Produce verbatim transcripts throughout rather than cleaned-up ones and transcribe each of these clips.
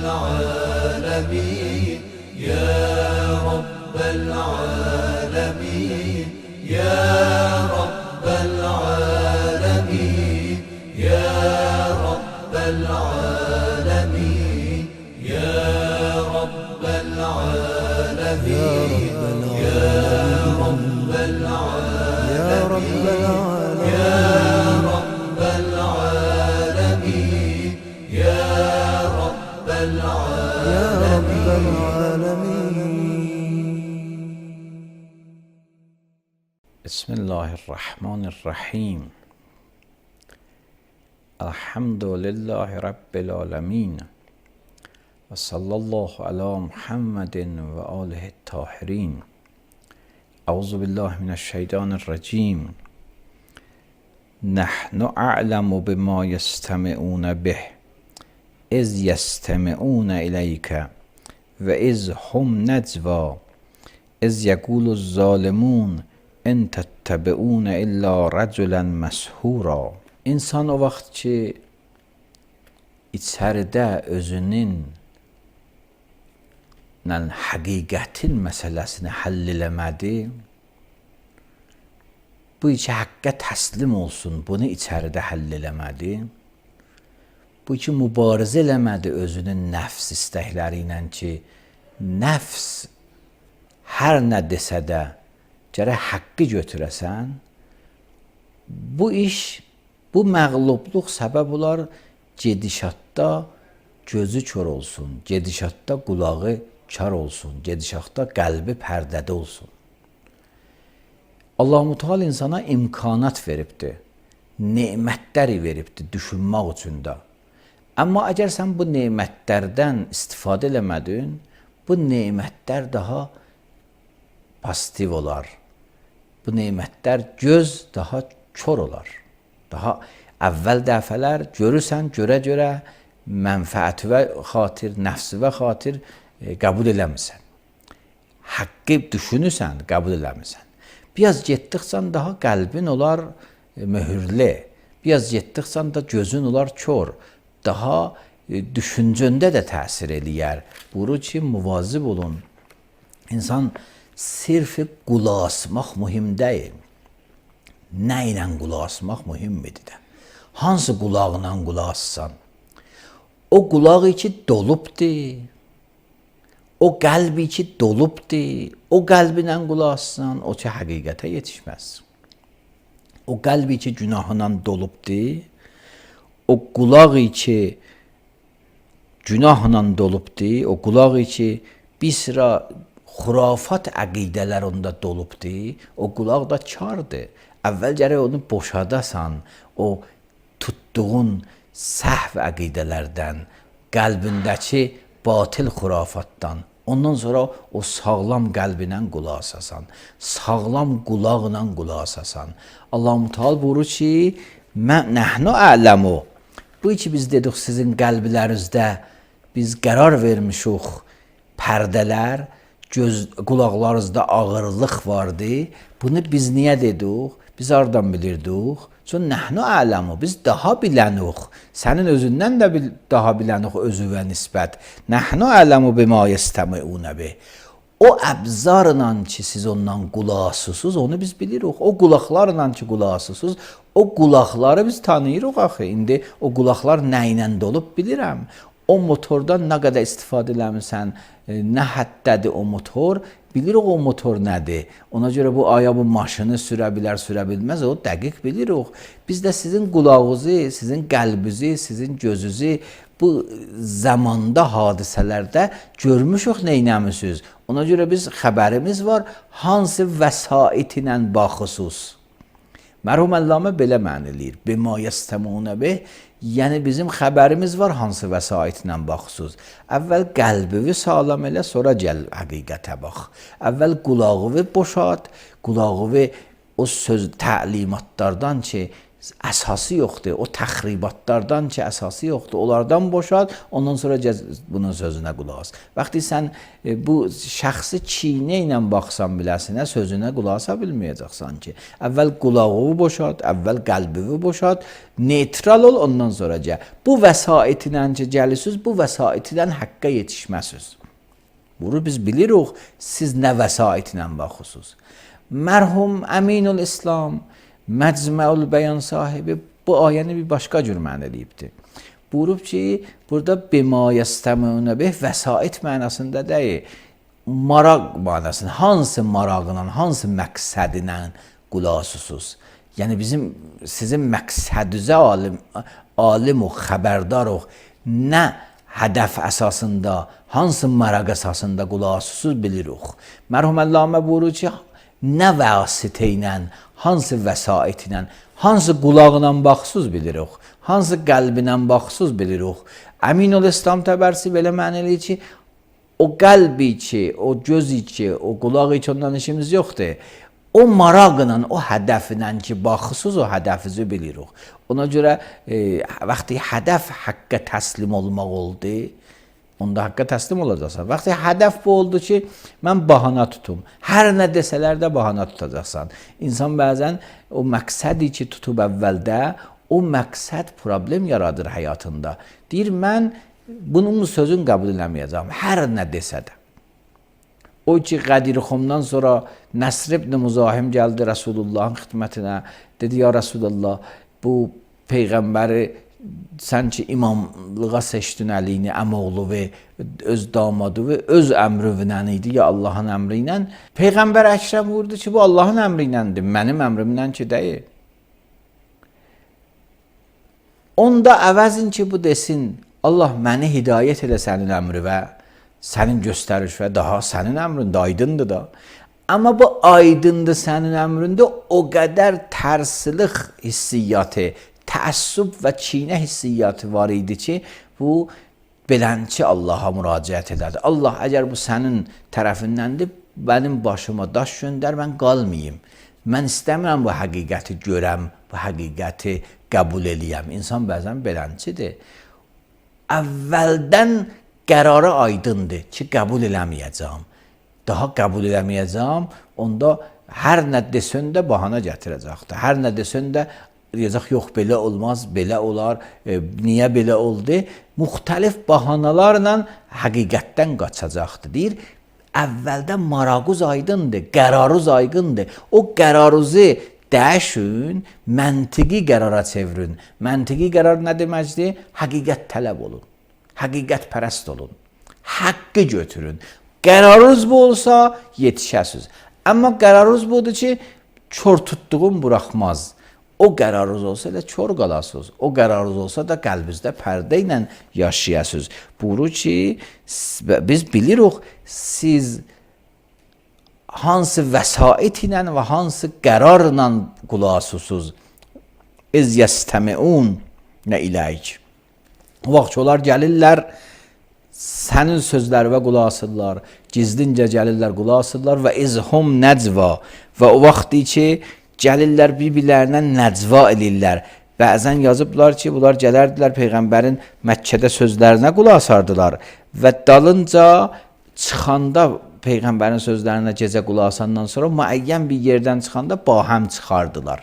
العالمين يا رب العالمين يا رب العالمين يا رب العالمين يا رب العالمين يا رب العالمين يا رب العالمين يا رب العالمين. بسم الله الرحمن الرحیم. الحمد لله رب العالمین و صلی الله علی محمد و آله الطاهرین. اعوذ بالله من الشیطان الرجیم. نحن اعلم بما یستمعون به اذ یستمعون الیک و اذ هم نجوا اذ یقول الظالمون ان تتبعون الا رجلا مسحورا. İnsan o vaxt ki içəridə özünün həqiqətin məsələsini həll eləmədi, bu iki həqqə təslim olsun, bunu içəridə həll eləmədi, bu iki mübarizə eləmədi özünün nəfs istəkləri ilə ki, nəfs hər nə desə də gərək haqqı götürəsən, bu iş, bu məğlubluq səbəb olar gedişatda gözü kör olsun, gedişatda qulağı kar olsun, gedişatda qəlbi pərdədə olsun. Allah-u Teala insana imkanat veribdir, nemətləri veribdir düşünmək üçün də. Amma əgər sən bu nemətlərdən istifadə eləmədin, bu nemətlər daha pozitiv olar. Bu nemətlər göz daha kör olar. Daha əvvəl dəfələr görürsən, görə-görə mənfəəti və xatir, nəfsi və xatir e, qəbul eləmirsən. Haqqı düşünürsən, qəbul eləmirsən. Biraz getdikcə daha qəlbin olar e, möhürlü. Biraz getdikcə da gözün olar kör. Daha e, düşüncəndə də təsir eləyər. Buyurur ki, müvazib olun. İnsan sirfi qulaq asmaq mühim deyil. Nə ilə qulaq asmaq mühimdir də. Hansı qulağla qulaq assan? O qulaq içi dolubdur. O qəlbi içi dolubdur. O qəlbinlə qulaq assan, o ki həqiqətə yetişməz. O qəlbi içi günahla dolubdur. O qulaq içi günahla dolubdur. O qulaq içi bir sıra xurafat əqidələr onda dolubdur. O qulaq da kardır. Əvvəl gərək onu boşadasan, o tutduğun səhv əqidələrdən, qəlbindəki batil xurafatdan. Ondan sonra o sağlam qəlbinə qulaq asasan, sağlam qulaqla qulaq asasan. Allah-u Teala buyurur ki, nəhnu a'ləmu. Bu ki biz dedik sizin qəlblərinizdə biz qərar vermişik pərdələr, göz, qulaqlarınızda ağırlıq vardı. Bunu biz niyə dedik? Biz hardan bilirdik? Çünki nəhnu a'ləmu, biz daha bilənik. Sənin özündən də bil, daha bilənik özüvə nisbət. Nəhnu a'ləmu bima yestəmi'unə bih. O əbzarla ki siz ondan qulaq asırsınız, onu biz bilirik. O qulaqlarla ki qulaq asırsınız, o qulaqları biz tanıyırıq axı. İndi o qulaqlar nə ilə dolub bilirəm. O motordan nə qədər istifadə eləmirsən, nə həddədir o motor, bilirik o motor nədir. Ona görə bu aya bu maşını sürə bilər, sürə bilməz, o dəqiq bilirik. Biz də sizin qulağınızı, sizin qəlbinizi, sizin gözünüzü bu zamanda, hadisələrdə görmüşük, neynəmişsiniz. Ona görə biz xəbərimiz var, hansı vəsait ilə baxısınız. Mərhum Əllamə belə məna eləyir. Bima yestəmunə bih, yəni bizim xəbərimiz var hansı vəsaitlə baxısınız. Əvvəl qəlbini sağlam elə, sonra gəl həqiqətə bax. Əvvəl qulağını boşalt, qulağını o söz təlimatlardan ki, əsası yoxdur. O təxribatlardan ki, əsası yoxdur. Onlardan boşal, ondan sonra gəz bunun sözünə qulaq as. Vaxtı sən e, bu şəxsi çiynə ilə baxsan biləsinə, sözünə qulaq asa bilməyəcəksən ki. Əvvəl qulağını boşalt, əvvəl qəlbini boşalt, neytral ol, ondan sonra gəl. Bu vəsaitilə ki, gəlisiz, bu vəsaitilə haqqa yetişməsiz. Bunu biz bilirik, siz nə vəsaitlə baxırsınız. Mərhum Əminul İslam, Məcməul Bəyan sahibi bu ayəni bir başqa cür mənə eləyibdir. Buyurub ki, burada bima yəstəməunə bih vəsait mənasında deyil, maraq mənasında, hansı marağla, hansı məqsədinə qulaq asırsınız. Yəni bizim sizin məqsədinizə alim, alim o, xəbərdarıq, nə hədəf əsasında, hansı maraq əsasında qulaq asırsınız bilirik. Mərhum Əllamə buyurur ki, nə vasitə ilə, hansı vəsait ilə, hansı qulağla baxsız bilirik, hansı qəlbinə baxsız bilirik. Əminul İslam Təbərsi belə mənə eləyir ki, o qəlbi ki, o gözü ki, o qulağı ki, ondan işimiz yoxdur. O maraqla, o hədəfinə ki, baxsız, o hədəfizi bilirik. Ona görə e, vaxtı hədəf haqqa təslim olmaq oldu, onda haqqa təslim olacaqsan. Vaxtı hədəf bu oldu ki, mən bahana tutum. Hər nə desələr də bahana tutacaqsan. İnsan bəzən o məqsədi ki, tutub əvvəldə, o məqsəd problem yaradır həyatında. Deyir, mən bunun sözün qəbul eləməyəcəm, hər nə desə də. O ki, Qədirxumdan sonra Nəsr ibn Müzahim gəldi Rəsulullahın xidmətinə. Dedi, ya Rəsulullah, bu Peyğəmbəri sən ki, imamlığa seçdin əliyini, əmoğlu və öz damadı və öz əmrüvlə idi, ya Allahın əmri ilə. Peyğəmbər Əkrəm vurdu ki, bu Allahın əmri iləndir, mənim əmrimlə ki, deyil. Onda əvəzin ki, bu desin, Allah məni hidayət elə sənin əmri və sənin göstəriş və daha sənin əmrində aydındır da. Amma bu aydındır sənin əmrində o qədər tərsilik hissiyyatı, təəssüb və çiynə hissiyyatı var idi ki, bu belənçi Allaha müraciət edərdi. Allah, əgər bu sənin tərəfindəndir, mənim başıma daş göndər, mən qalmayayım. Mən istəmirəm bu həqiqəti görəm, bu həqiqəti qəbul eləyəm. İnsan bəzən belənçidir. Əvvəldən qərarı aydındır ki, qəbul eləməyəcəm. Daha qəbul eləməyəcəm, onda hər nə desən də bahana gətirəcəkdir. Hər nə desən də deyəcək, yox, belə olmaz, belə olar, e, niyə belə oldu? Müxtəlif bahanalarla həqiqətdən qaçacaqdır. Deyir, əvvəldən marağınız aydındır, qərarınız aydındır. O qərarınızı dəyişin, məntiqi qərara çevirin. Məntiqi qərar nə deməkdir? Həqiqət tələb olun, həqiqət pərəst olun, haqqı götürün. Qərarınız bu olsa, yetişəsiz. Amma qərarınız budur ki, kör tutduğum buraxmaz. O qərarınız olsa da kör qalasınız. O qərarınız olsa da qəlbinizdə pərdə ilə yaşayasınız. Buyurur ki, biz bilirik, siz hansı vəsait ilə və hansı qərarla qulaq asırsınız. İz yəstəmiun nə iləyik. O vaxt onlar gəlirlər, sənin sözlərinə qulaq asırlar, gizlincə gəlirlər, qulaq asırlar və izhum nəcva və o vaxt ki, gəlirlər bir-birlərinə nəcva eləyirlər. Bəzən yazıblar ki, bunlar gələrdilər Peyğəmbərin Məkkədə sözlərinə qulaq asardılar və dalınca çıxanda Peyğəmbərin sözlərinə gecə qulaq asandan sonra müəyyən bir yerdən çıxanda bahəm çıxardılar.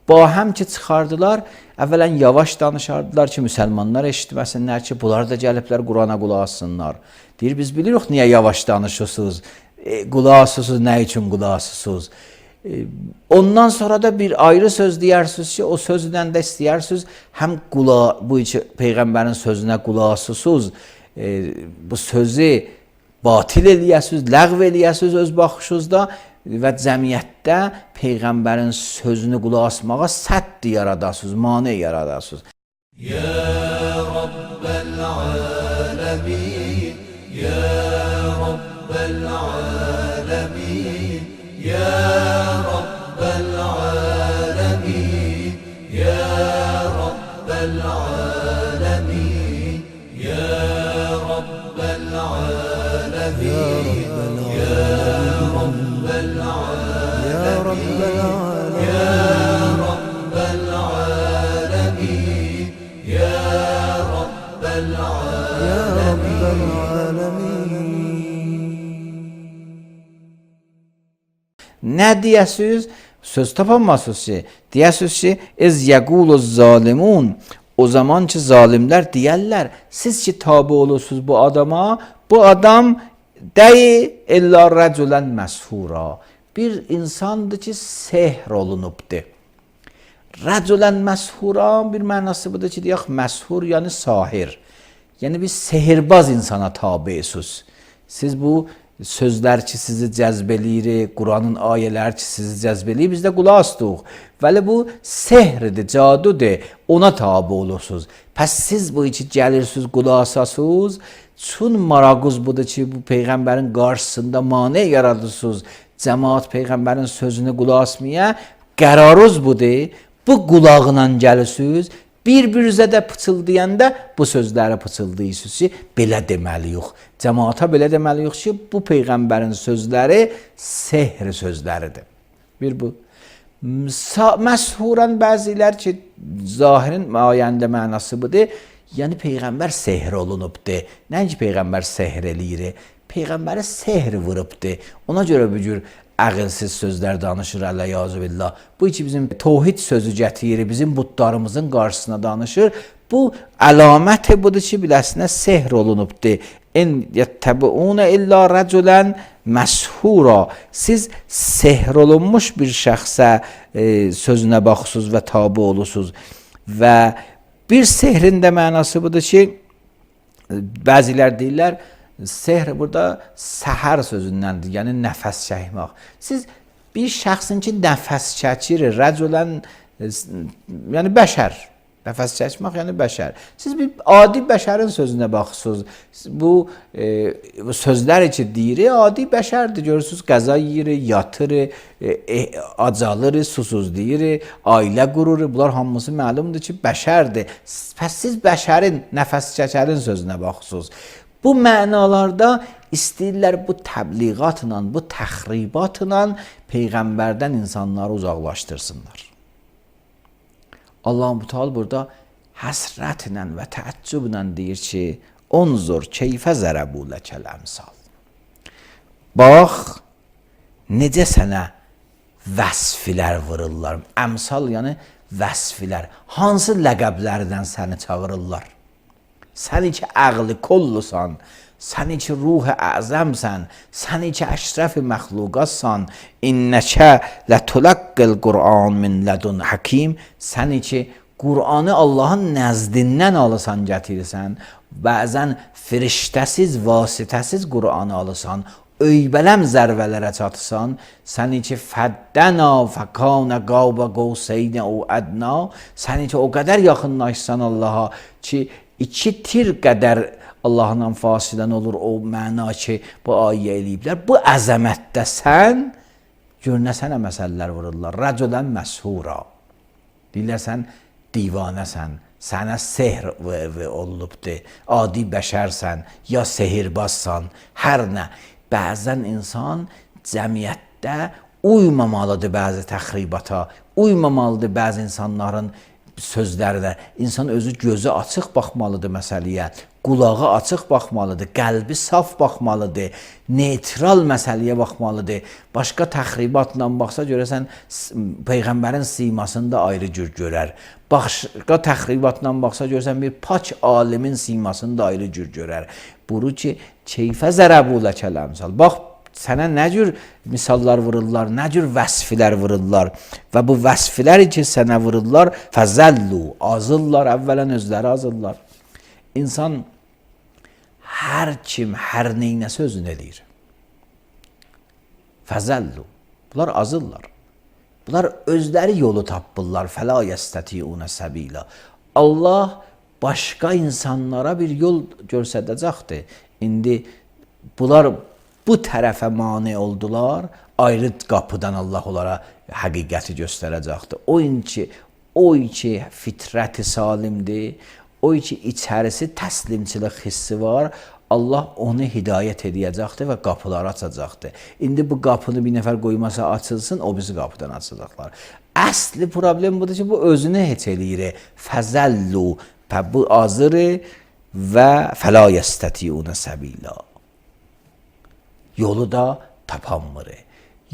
Bahəm ki çıxardılar, əvvələn yavaş danışardılar ki, müsəlmanlar eşitməsinlər ki, bunlar da gəliblər Qurana qulaq assınlar. Deyir, biz bilirik niyə yavaş danışırsınız, e, qulaq asırsınız, nə üçün qulaq asırsınız. Ondan sonra da bir ayrı söz deyirsiniz ki, o sözlə də istəyirsiniz, həm qulaq, bu iki Peyğəmbərin sözünə qulaq asırsınız, e, bu sözü batil eləyəsiniz, ləğv eləyəsiniz öz baxışınızda və cəmiyyətdə Peyğəmbərin sözünü qulaq asmağa sədd yaradasınız, mane yaradasınız. Ya Rabbəl aləmin, Ya Rabbəl aləmin, Ya Rabbəl aləmin, Ya Rabbəl aləmin, Ya Rabbəl aləmin, Ya Rabbəl aləmin, Ya Rabbəl aləmin, Ya Rabbəl aləmin. Nə deyəsiz? Söz tapamazsınız ki. Deyəsiz ki, ez yəqulu zalimun. O zaman ki zalimlər deyərlər, siz ki tabi olursunuz bu adama, bu adam dəyi illa rəculən məshura. Bir insandır ki sehr olunubdur. Rəculən məshura bir mənası budur ki, deyək məshur yəni sahir. Yəni bir sehirbaz insana tabiisiz. Siz bu sözlər ki sizi cəzb eləyir, Quranın ayələri ki sizi cəzb eləyir, biz də qulaq asdıq. Vəli bu sehridir, cadudur, ona tabi olursunuz. Pəs siz bu içi gəlirsiniz, qulaq asasınız, çün maraquz budur ki bu Peyğəmbərin qarşısında mane yaradırsınız, cəmaat Peyğəmbərin sözünü qulaq asmaya, qərarınız budur, bu qulağına gəlirsiniz, bir-birinizə də pıçıldayanda bu sözləri pıçıldayırsınız ki, belə deməliyik. Cəmaata belə deməliyik ki, bu Peyğəmbərin sözləri sehr sözləridir. Bir bu. Məshurən bəzilər ki, zahirin ayəndə mənası budur, yəni Peyğəmbər sehr olunubdur. Nəinki Peyğəmbər sehr eləyir, Peyğəmbəri sehr vurubdur. Ona görə bu cür əqilsiz sözlər danışır, əleyazü billah. Bu ki bizim tohid sözü gətirir, bizim butlarımızın qarşısına danışır. Bu əlamət budur ki, biləsinə sehr olunubdur. En yəttəbiunə illa rəculən məshura. Siz sehr olunmuş bir şəxsə e, sözünə baxırsınız və tabi olursunuz. Və bir sehrin də mənası budur ki, bəzilər deyirlər, sehr burada səhər sözündəndir, yəni nəfəs çəkmək. Siz bir şəxsin ki nəfəs çəkir, rəculən, yəni bəşər, nəfəs çəkmək yəni bəşər. Siz bir adi bəşərin sözünə baxırsınız. Bu, e, bu sözlər ki deyir, adi bəşərdir. Görürsünüz, qəza yeyir, yatır, e, e, acalır, susuz deyir, ailə qurur. Bunlar hamısı məlumdur ki bəşərdir. Pəs siz bəşərin, nəfəs çəkərin sözünə baxırsınız. Bu mənalarda istəyirlər bu təbliğatla, bu təxribatla Peyğəmbərdən insanları uzaqlaşdırsınlar. Allah-u Teala burada həsrətlə və təəccüblə deyir ki, onzur keyfə zərəbu ləkəl əmsal. Bax, necə sənə vəsfilər vururlar. Əmsal yəni vəsfilər. Hansı ləqəblərdən səni çağırırlar? Səni ki əqli kollusan, səni ki ruh-i əzəmsən, səni ki əşrəf-i məxluqatsan, innəkə lətulaqqil Qur'an min lədun həkim, səni ki Qur'anı Allahın nəzdindən alısan, gətirirsən, bəzən firiştəsiz, vasitəsiz Qur'anı alısan, öybələm zərvələrə çatırsan, səni ki fəddəna fəkanə qavbə qovseynə o ədna, səni ki o qədər yaxınlaşsan Allaha ki, İki tir qədər Allahla fasilən olur o məna ki, bu ayə eləyiblər. Bu əzəmətdə sən, gör nə sənə məsələlər vururlar. Rəculən məshura. Deyirlər sən divanəsən, sənə sehr olubdur, adi bəşərsən, ya sehirbazsan, hər nə. Bəzən insan cəmiyyətdə uymamalıdır bəzi təxribata, uymamalıdır bəzi insanların sözlərdə. İnsan özü gözü açıq baxmalıdır məsələyə, qulağı açıq baxmalıdır, qəlbi saf baxmalıdır, neytral məsələyə baxmalıdır. Başqa təxribatla baxsa görəsən Peyğəmbərin simasını da ayrı cür görər. Başqa təxribatla baxsa görəsən bir pak alimin simasını da ayrı cür görər. Buru ki, keyfə zərəbu ləkəl əmsal. Bax, sənə nə cür misallar vururlar, nə cür vəsfilər vururlar və bu vəsfləri ki sənə vururlar, fəzəllu, azırlar, əvvələn özləri azırlar. İnsan hər kim, hər neynəsə özünü eləyir. Fəzəllu, bunlar azırlar. Bunlar özləri yolu tapırlar, fəla yəstətiunə səbila. Allah başqa insanlara bir yol göstərəcəkdir. İndi bunlar bu tərəfə mane oldular, ayrı qapıdan Allah onlara həqiqəti göstərəcəkdir. O ki, o ki fitrəti salimdir, o ki içərisi təslimçilik hissi var, Allah onu hidayət edəcəkdir və qapıları açacaqdır. İndi bu qapını bir nəfər qoymasa açılsın, o bizi qapıdan açacaqlar. Əsli problem budur ki, bu özünü heç eləyir. Fəzəllu, bu azır və fəla yəstətiunə səbila. Yolu da tapanmır.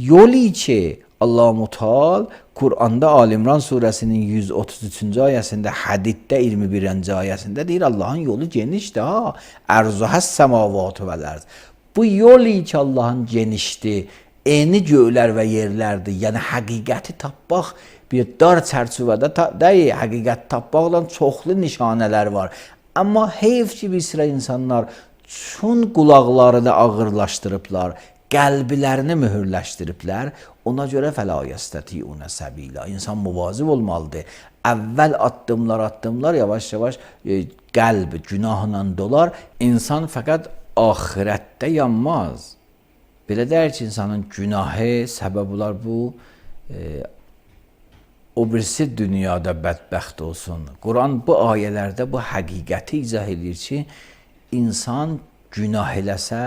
Yolu ki Allah Mutal Kur'anda Ali İmran suresinin yüz otuz üçüncü ayəsində, Hədiddə iyirmi birinci ayəsində deyir Allahın yolu genişdir ha. Ərzuhəs səmavatü vəl ərz. Bu yol ki Allahın genişdir. Eni göylər və yerlərdir. Yəni həqiqəti tapmaq bir dar çərçivədə ta deyil. Həqiqət tapmaqla çoxlu nişanələr var. Amma heyf ki bir sıra insanlar çün qulaqlarını ağırlaşdırıblar, qəlblərini mühürləşdiriblər. Ona görə fəla yəstəti'unə səbila. İnsan müvazib olmalıdır. Əvvəl addımlar addımlar yavaş-yavaş e, qəlb günahla dolar. İnsan fəqət axirətdə yanmaz. Belə deyir ki, insanın günahı səbəb olar bu e, o birisi dünyada bədbəxt olsun. Quran bu ayələrdə bu həqiqəti izah edir ki, insan günah eləsə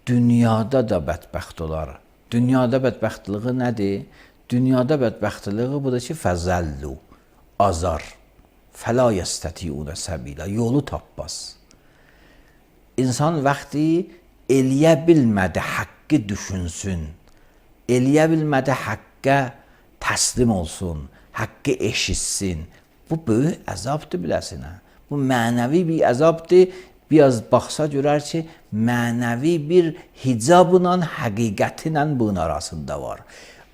dünyada da bədbəxt olar. Dünyada bədbəxtliyi nədir? Dünyada bədbəxtliyi budur ki, fəzəllu, azar, fəla yəstəti'unə səbila, yolu tapmaz. İnsan vaxtı eləyə bilmədi haqqı düşünsün, eləyə bilmədi haqqə təslim olsun, haqqı eşitsin. Bu böyük əzabdır biləsinə. Bu mənəvi bir əzabdır. Biraz baxsa görər ki, mənəvi bir hicabla, həqiqətlə bunun arasında var.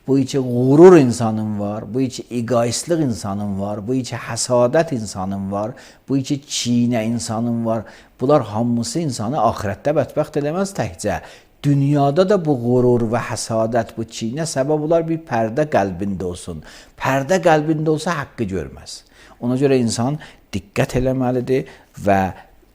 Bu içi qurur insanın var, bu içi egoistlik insanın var, bu içi həsadət insanın var, bu içi çiynə insanın var. Bunlar hamısı insanı axirətdə bədbəxt eləməz təkcə. Dünyada da bu qurur və həsadət, bu çiynə səbəb olar bir pərdə qəlbində olsun. Pərdə qəlbində olsa haqqı görməz. Ona görə insan diqqət eləməlidir və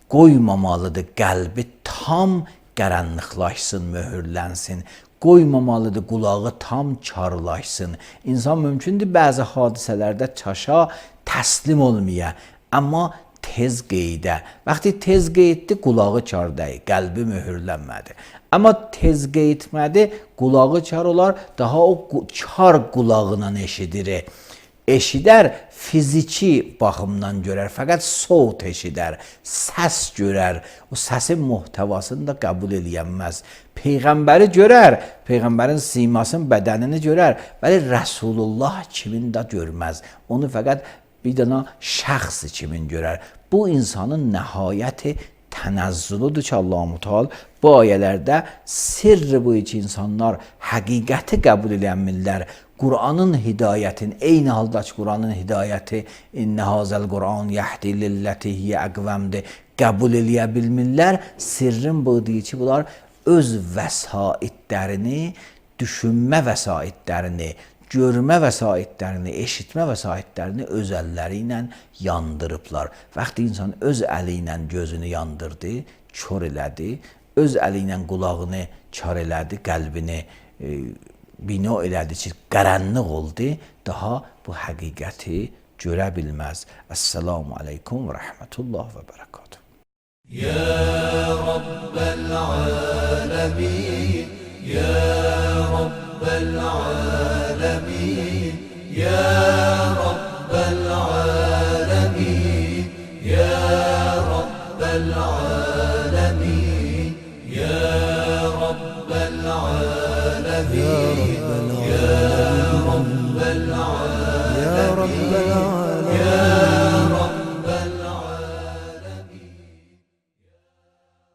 qoymamalıdır qəlbi tam qaranlıqlaşsın, möhürlənsin. Qoymamalıdır qulağı tam karlaşsın. İnsan mümkündür bəzi hadisələrdə çaşa təslim olmaya, amma tez qeydə. Vaxtı tez qeyddir, qulağı kar deyil, qəlbi möhürlənmədi. Amma tez qeydmədi, qulağı kar olar, daha o kar qulağına eşidir. Eşidər, fiziki baxımdan görər, fəqət soğut eşidər, səs görər, o səsin muhtəvasını da qəbul eləyənməz. Peyğəmbəri görər, Peyğəmbərin simasını, bədənini görər, bəli Rəsulullah kimin də görməz. Onu fəqət bir dana şəxsi kimin görər. Bu insanın nəhayəti tənəzzülüdür ki, Allah-u Mutal bu ayələrdə sirri bu iki insanlar həqiqəti qəbul edənmirlər. Qur'anın hidayətin, eyni halda ki, Qur'anın hidayəti İnnə hazəl Qur'an yəhdi lilləti hiyə əqvəmdir, qəbul eləyə bilmirlər. Sirrin budur ki, bunlar öz vəsaitlərini, düşünmə vəsaitlərini, görmə vəsaitlərini, eşitmə vəsaitlərini öz əlləri ilə yandırıblar. Vaxtı insan öz əli ilə gözünü yandırdı, kör elədi, öz əli ilə qulağını kar elədi, qəlbini e, bina elədi ki, qaranlıq oldu, daha bu həqiqəti görə bilməz. Əssalamu aleykum və rəhmətullah və bərəkatuhu. Ya Rabbel alemin, Ya Rabbel alemin, Ya Rabbel alemin, Ya Rabbel alemin, Ya Rabbel alemin, Ya Rabbel alemin, Ya Rabbel alemin.